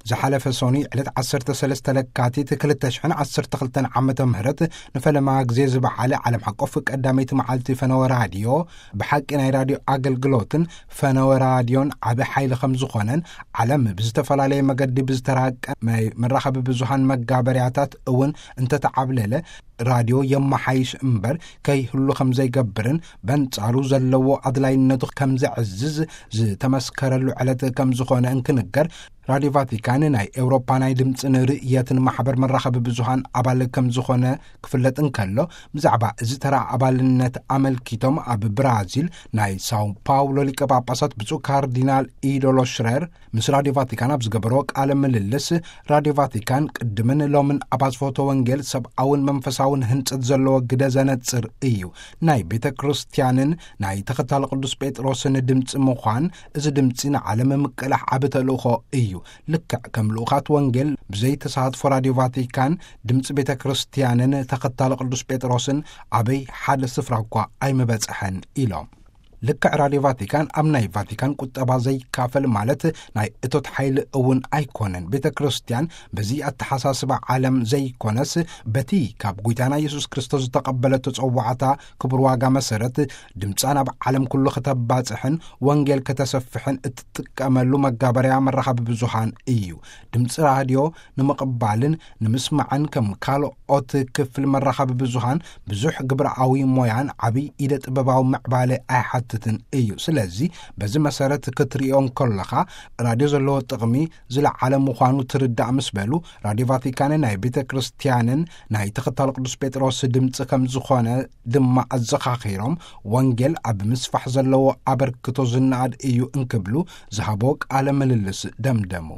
ዝሓለፈ ሶኒ ዕለት ዓሰርተ ሰለስተ ለካቲት ክልተ ሽሕን ዓሰርተ ክልተን ዓመተ ምህረት ንፈለማ ግዜ ዝበዓለ ዓለም ሓቆፍ ቀዳመይቲ መዓልቲ ፈነወ ራድዮ፣ ብሓቂ ናይ ራድዮ ኣገልግሎትን ፈነወ ራድዮን ዓቢ ሓይሊ ከም ዝኾነን፣ ዓለም ብዝተፈላለየ መገዲ ብዝተራቀ ናይ መራኸቢ ብዙሃን መጋበርያታት እውን እንተተዓብለለ፣ ራድዮ የመሓይሽ እምበር ከይህሉ ከም ዘይገብርን፣ በንጻሩ ዘለዎ ኣድላይነቱ ከም ዘዕዝዝ ዝተመስከረሉ ዕለት ከም ዝኾነ እንክንገር፣ ራድዮ ቫቲካን ናይ ኤውሮፓ ናይ ድምፅን ርእየትን ማሕበር መራኸቢ ብዙሃን ኣባል ከም ዝኾነ ክፍለጥ እንከሎ፣ ብዛዕባ እዚ ተራ ኣባልነት ኣመልኪቶም ኣብ ብራዚል ናይ ሳው ፓውሎ ሊቀ ጳጳሳት ብፁዕ ካርዲናል ኢዶሎ ሽረር ምስ ራድዮ ቫቲካን ኣብ ዝገበሮ ቃለ ምልልስ፣ ራድዮ ቫቲካን ቅድምን ሎምን ኣብ ኣስፍሆተ ወንጌል ሰብኣውን መንፈሳውን ህንጸት ዘለዎ ግደ ዘነጽር እዩ። ናይ ቤተ ክርስቲያንን ናይ ተኸታሊ ቅዱስ ጴጥሮስን ድምፂ ምዃን፣ እዚ ድምፂ ንዓለም ምቅላሕ ዓቢ ተልእኾ እዩ። ልክዕ ከም ልኡኻት ወንጌል ብዘይ ተሳትፎ ራድዮ ቫቲካን ድምፂ ቤተ ክርስቲያንን ተኸታሊ ቅዱስ ጴጥሮስን ኣበይ ሓደ ስፍራ እኳ ኣይምበጽሐን ኢሎም። ልክዕ ራድዮ ቫቲካን ኣብ ናይ ቫቲካን ቁጠባ ዘይካፈል ማለት ናይ እቶት ሓይሊ እውን ኣይኮነን። ቤተ ክርስቲያን በዚ ኣተሓሳስባ ዓለም ዘይኮነስ፣ በቲ ካብ ጐይታና የሱስ ክርስቶስ ዝተቐበለቶ ጸዋዕታ ክቡር ዋጋ መሰረት፣ ድምጻ ናብ ዓለም ኩሉ ከተባጽሕን ወንጌል ከተሰፍሕን እትጥቀመሉ መጋበርያ መራኸቢ ብዙሃን እዩ። ድምጺ ራድዮ ንምቕባልን ንምስማዕን ከም ካልኦት ክፍል መራኸቢ ብዙሃን ብዙሕ ግብራዊ ሞያን ዓቢ ኢደ ጥበባዊ ምዕባለ ኣይሓትትን እዩ። ስለዚ በዚ መሰረት ክትርእዮ እንከለኻ፣ ራድዮ ዘለዎ ጥቕሚ ዝለዓለ ምዃኑ ትርዳእ ምስ በሉ፣ ራድዮ ቫቲካንን ናይ ቤተ ክርስቲያንን ናይ ተኸታሊ ቅዱስ ጴጥሮስ ድምጺ ከም ዝኾነ ድማ ኣዘኻኺሮም፣ ወንጌል ኣብ ምስፋሕ ዘለዎ ኣበርክቶ ዝነኣድ እዩ እንክብሉ ዝሃቦ ቃለ ምልልስ ደምደሙ።